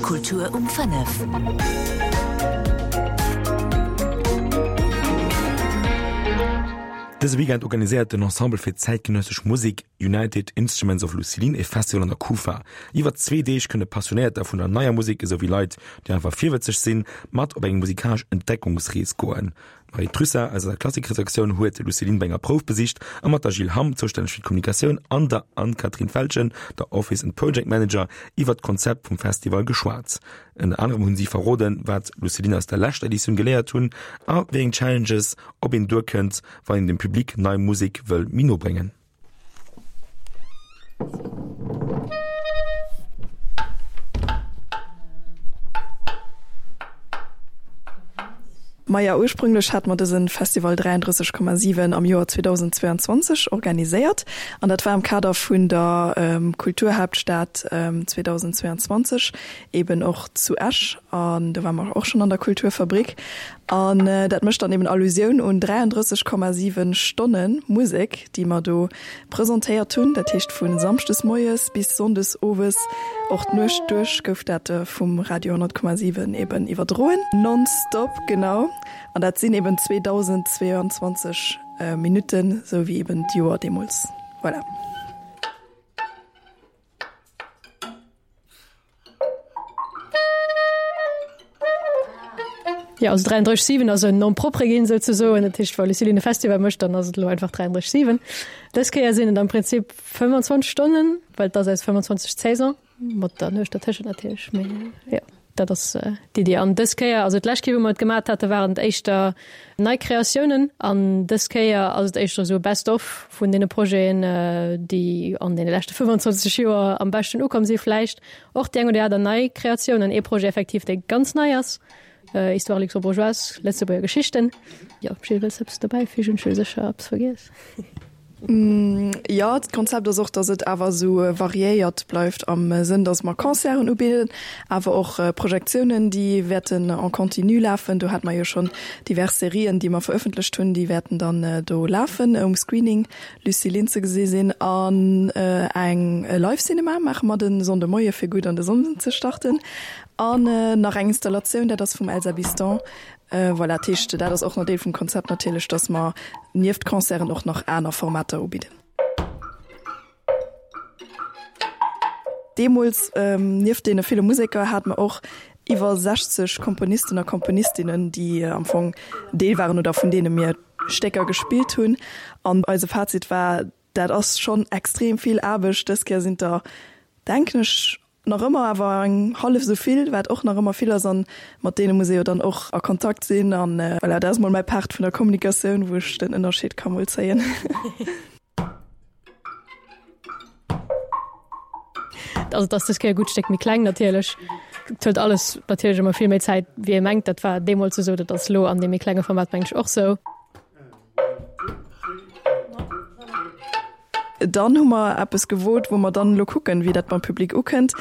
Kultur um 5. Dëse Weekend organiséiert den Ensemble fir zäitgenëssesch Musek United Instruments of Lucilin e Festival an der Kufa. Iwwer zwee Deeg kënne Passionéierter vun der neier Musek esou wéi Leit, déi einfach virwëtzeg sinn, mat op eng musikalesch Entdeckungsrees goen. D'Marie Trussart aus eiser Klassikredaktioun huet d'Luciline bei enger Prouf besicht a mat der Jill Hamm, zoustänneg fir d'Kommunikatioun, an der Anne-Catherine Feltgen, der Office and Project Manager, iwwert d'Konzept vum Festival geschwat. Ënner anerem hunn si verroden, wat d'Luciline aus der leschter Editioun geléiert hunn a wéi eng Challenges op een duerkënnt, wann een dem Public nei Musek wëll méi no bréngen. Maja, ursprünglech hate mer dëse Festival 33,7 am Joer 2022 organiséiert an dat war am Kader vun der Kulturhaaptstad 2022 eben och zu Esch an do ware mer och schonn an der Kulturfabrik. An dat mécht dann eben Allusioun un 33,7 Stonne Musek, déi mer do presentéiert hunn. Dat heescht vu samschdes moies bis sonndes owes, och d'Nuecht duerch gouf dat vum Radio 100,7 eben iwwerdroen. Nonstop, genau. An dat sinn eben 2.022 Minutten, esou wéi eben d'Joer deemools. Voilà. Jo, also 33 7 ass en Nom propre ginn souzesoen. Dat heescht, wa Lucilin e Festival mécht, dann ass et elo einfach 33 7. Dës Kéier sinn et am Prinzip 25 Stonnen, well et ass eis 25. Saison, mat der Nuecht dertëschent natierlech. Mee jo, dat ass d'Iddi. An dës Kéier, also d'lescht Kéier, wou mer et gemat hate waren et éischter nei Kreatiounen. An dës Kéier ass et éischter esou e Best of vun deene Projeten, déi an deene leschte 25 Joer am beschten ukomm si vläicht. Och déi eng oder aner nei Kreatioun an ee Projet effektiv, dee ganz nei ass, Histoire luxembourgeoise, Lëtzebuerger Geschichten. Jo, Jill, wëlls de eppes dobäifügen? Ech hu sécher eppes vergiess. Jo, d'Konzept ass och, datt et awer esou variéiert bleift am Sënn, datt mer Concerten ubidden, awer och Projektiounen, déi wäerten en continu lafen. Do hate mer jo schonn divers Serien, déi mer verëffentlecht hunn, déi wäerten dann do lafen um Screening. Lucie Linn ze gesi sinn an eng Live Cinema maache mer de Sonnde Moie fir gutt an de Sonnden ze starten an nach eng Installatioun, dat ass vum Elsa Biston. Voilà, dat heescht dat ass och nach Deel vum Konzept natierlech, datt mer nieft Concerten och nach aner Formater ubidden. Deemools, nieft deene ville Museker, hate mer och iwwer 60 Komponisten a Komponistinnen, déi am Fong Deel waren oder vun deene mir Stécker gespillt hunn. An eise Fazit war, dat ass schonn extrem vill Aarbecht. Dës Kéier sinn et der, denken ech, nach ëmmer awer eng hallef esou vill, wat och nach ëmmer vill ass. An mat deene muss ee jo dann och a Kontakt sinn. An voilà, dat ass mol mäi Part vun der Kommunikatioun, wou ech den Ënnerscheed ka mol zéien. Also et ass dës Kéier e gutt Stéck méi kleng natierlech. Et huet alles natierlech ëmmer vill méi Zäit, wéi ee mengt. Dat war deemools esou, dat ass elo an deem méi klenge Format mengen ech och sou. Dann hu mer eppes gewot, wou mer dann elo kucken, wéi dat beim Public ukënnt.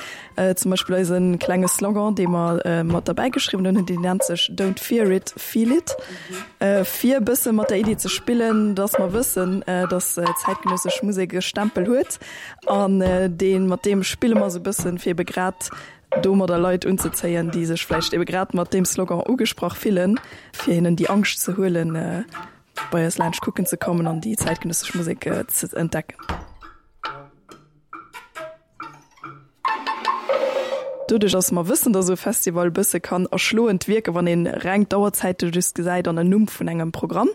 Zum Beispill eise klenge Slogan, dee mer mat derbäi geschriwwen hunn, deen nennt sech Don't fear it, feel it. Fir e bësse mat der Iddi ze spillen, dass mer wëssen, dass zäitgenëssesch Musek e Stempel huet. An dee mat deem spille mer esou e bëssen, fir ebe grad domadder Leit unzezéien, déi sech vläicht ebe grad mat deem Slogan ugesprach fillen, fir hinnen déi Angscht ze huelen, bei eis laanscht kucken ze kommen an déi zäitgenëssesch Musek ze entdecken. Doduerch, dass mer wëssen, dass esou e Festival e bësse kann erschloend wierken, wann ee reng d'Auerzäite just gesäit an en Numm vun engem Programm.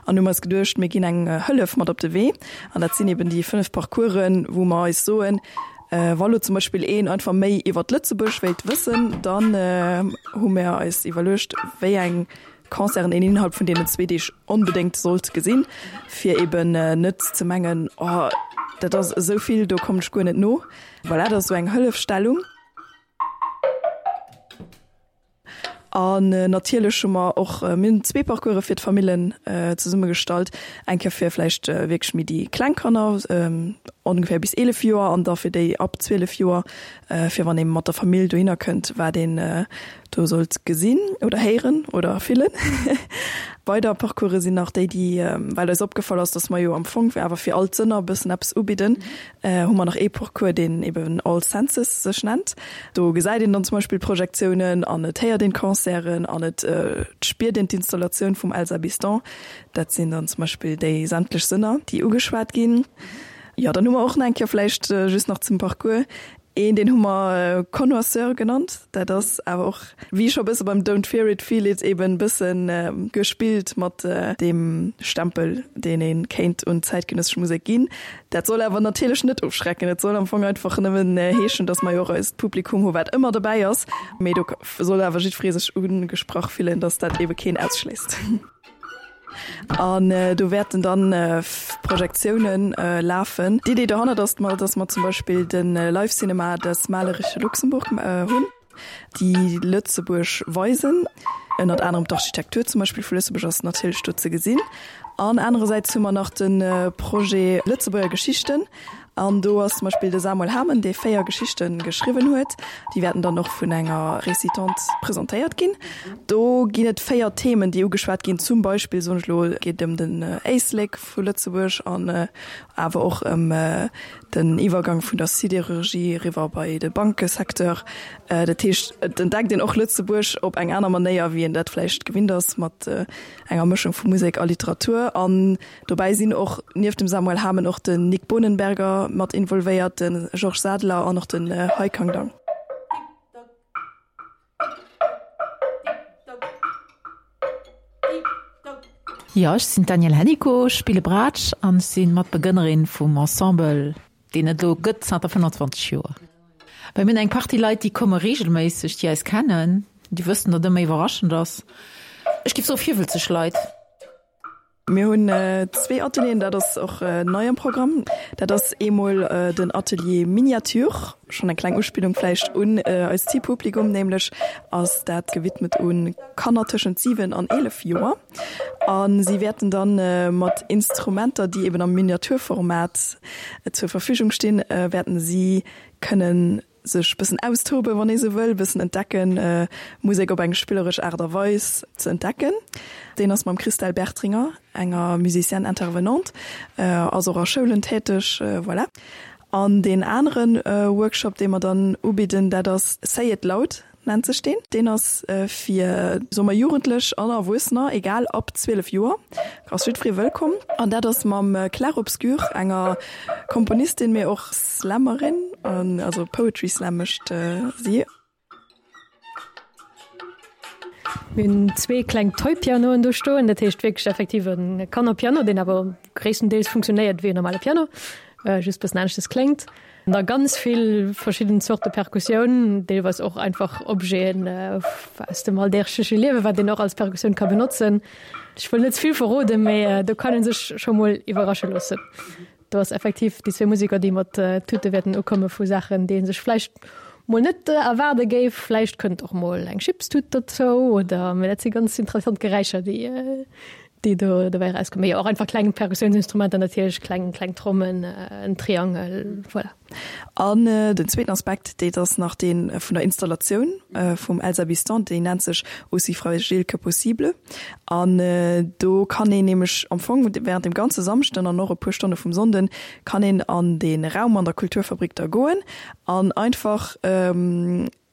An hu mer eis geduecht, mir ginn eng Hëllef mat op de Wee. An dat sinn eben déi 5 Parcoursen, wou mer eis soen, wa lo zum Beispill een einfach méi iwwert Lëtzebuerg wéilt wëssen, dann hu mer eis iwwerluecht, wéi eng Concerten een innerhalb vun deenen zwee Deeg onbedéngt sollt gesinn, fir eben net ze mengen, oh dat ass esou vill, do kommen ech guer net no. Voilà, dat ass esou eng Hëllefstellung. An natierlech hu mer och, mir hunn zwee Parcourse fir d'Famillen zesummegestallt, eng Kéier fir vläicht wierklech méi déi kleng Kanner, ongeféier bis 11 Joer, an da fir déi ab 12 Joer, fir wann ee mat der Famill dohinner kënnt, wat een. Do sollt gesinn oder héieren oder fillen. Weider Parcourse sinn nach déi, déi, well eis opgefall ass, dass mer jo am Fong awer fir all d'Sënner e bëssen eppes ubidden, hu mer nach ee Parcours, deen eben All Senses sech nennt. Do gesäit een dann zum Beispill Projektiounen an et héiert een d'Concerten an et spiert een d'Installatioun vum Elsa Biston. Dat sinn dann zum Beispill déi sämtlech Sënner, déi ugeschwat ginn. Jo, dann hu mer och nach eng Kéier vläicht just nach zum Parcours Een, deen hu mer Connoisseur genannt. Dat ass awer och, wéi scho bësse beim Don't Fear It, Feel It, eben bësse gespillt mat deem Stempel, deen ee kéint un d'zäitgenëssesch Musek ginn. Dat soll awer natierlech net ofschrecken. Et soll am Fong einfach nëmmen heeschen, datt mer jo och eist Publikum hu wat ëmmer dobäi ass. Mee do soll awer jiddweree sech ugesprach fillen, datt dat ebe keen ausschléisst. An do wäerten dann Projektiounen lafen. D'Idee dohannert ass, dass mer zum Beispill de Live Cinema des malerische Luxemburg hunn, déi Lëtzebuerg weisen. Ënnert anerem d'Architektur zum Beispill vu Lëtzebuerg ass natierlech do ze gesinn. An anerersäits hu mer nach de Projet Lëtzebuerger Geschichten. An do ass zum Beispill de Samuel Hamen, dee 4 Geschichte geschriwwen huet. Déi wäerten dann och vun enger Récitante presentéiert ginn. Do ginn et 4 Themen, déi ugeschwat ginn. Zum Beispill, soen ech elo, geet et ëm den Éislek vu Lëtzebuerg an awer och ëm den Iwwergang vun der Sidérurgie eriwwer bei de Bankesecteur. Dat heescht, et entdeckt een och Lëtzebuerg op eng aner Manéier, wéi een dat vläicht gewinnt ass, mat enger Mëschung vu Musek a Literatur. An Dobäi sinn och nieft dem Samuel Hamen och den Nik Bohnenberger mat involvéiert, de Georges Sadeler an och den Haikang Dang. Jo, ech sinn d'Danièle Hennicot, ech spille Braatsch an ech si Matbegrënnerin vum Ensemble, deen et elo gëtt zanter 25 Joer. Well mir hunn eng Partie Leit, déi komme reegelméisseg, déi eis kennen, déi wëssen, datt ëmmer iwwerraschend ass. Ech géif soe virwëlzeg Leit. Mir hunn zwee Atelieren, dat ass och nei am Programm. Dat ass eemol den Atelier Miniature, schonn eng kleng Uspillung vläicht un eist Zilpublikum, nämlech ass dat gewidmet u Kanner tëschent 7 an 11 Joer. A si wäerten da mat Instrumenter, déi eben am Miniaturformat zur Verfügung stinn, wäerten si kënnen sech bëssen austoben, wann ee sou wëll, bëssen entdecken, Musek op eng spilleresch Aart a Weis ze entdecken. Deen ass mam Christelle Bertringer, enger Musicienne intervenante, ass och a Schoulen täteg, voilà. An deen anere Workshop, dee mer dann ubidden, dat ass Say it loud nennt sech deen. Deen ass fir, soe mer, Jugendlech an Erwuessener, egal, ab 12 Joer ass jiddweree wëllkomm. An dat ass mam Claire Obscure, enger Komponistin, mee och Slammerin, also Poetry Slam mécht si. Mir hunn zwee kleng Toy-Pianoen do stoen, dat heescht wierklech effektiv e Kannerpiano, deen awer gréisstendeels funktionéiert wéi en normale Piano, just bëssen aneschtes kléngt. An da ganz vill verschidden Zorte Perkussioun, deelweis och einfach Objeten aus dem alldägleche Liewen, wat een och als Perkussioun ka benotzen. Ech wëll net ze vill verroden, mee do kann ee sech scho mol iwwerrasche loossen. Do ass effektiv déi zwee Museker, déi mat Tute wäerten ukomme vu Saachen, déi ee sech vläicht mol net erwaarde géif. Vläicht kënnt och mol eng Chipstut dozou oder, mee dat si ganz interessant Geräischer, déi déi do dobäi erauskommen. Mee jo, och einfach kleng Perkussiounsinstrumenter natierlech, kleng, kleng Trommen, en Triangel, voilà. An den zweeten Aspekt, dee ass nach dee vun der Installatioun vum Elsa Biston, déi nennt sech Aussi fragile que possible. An do kann een nämlech am Fong während dem ganze Samschden an och e puer Stonne vum Sonnden kann een an dee Raum an der Kulturfabrik da goen an einfach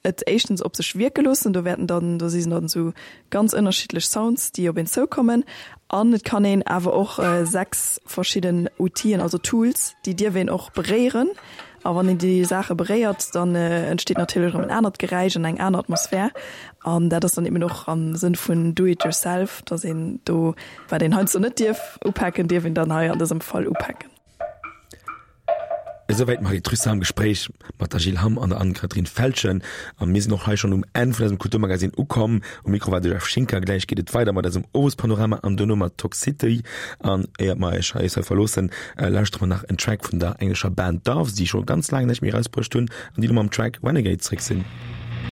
et éischtens op sech wierke loossen, do wäerten dann, do si dann esou ganz ënnerschiddlech Sounds, déi op een zoukommen an et kann een awer och 6 verschidden Outien, also Tools, déi dierf een och beréieren a wann een déi Saache beréiert, dann entsteet natierlech erëm en anert Geräisch an eng aner Atmosphär an dat ass dann eben och am Sënn vun do it yourself, dass een do, wat een heiansdo net dierf upaken, dierf een dann hei an dësem Fall upaken. Esouwäit d'Marie Trussart am Gespréich mat der Jill Hamm an der Anne-Catherine Feltgen. A mir sinn och hei schonn um Enn vun eisem Kulturmagazin ukomm. Um Mikro war de Jeff Schinker. Gläich geet et weider mat eisem Owespanorama an duerno mat Toxicity. An éiert mer iech hei verloossen, lauschtere mer nach en Track vun der englescher Band Doves, déi scho ganz laang näischt méi erausbruecht hunn an déi elo mam Track Renegade zréck sinn.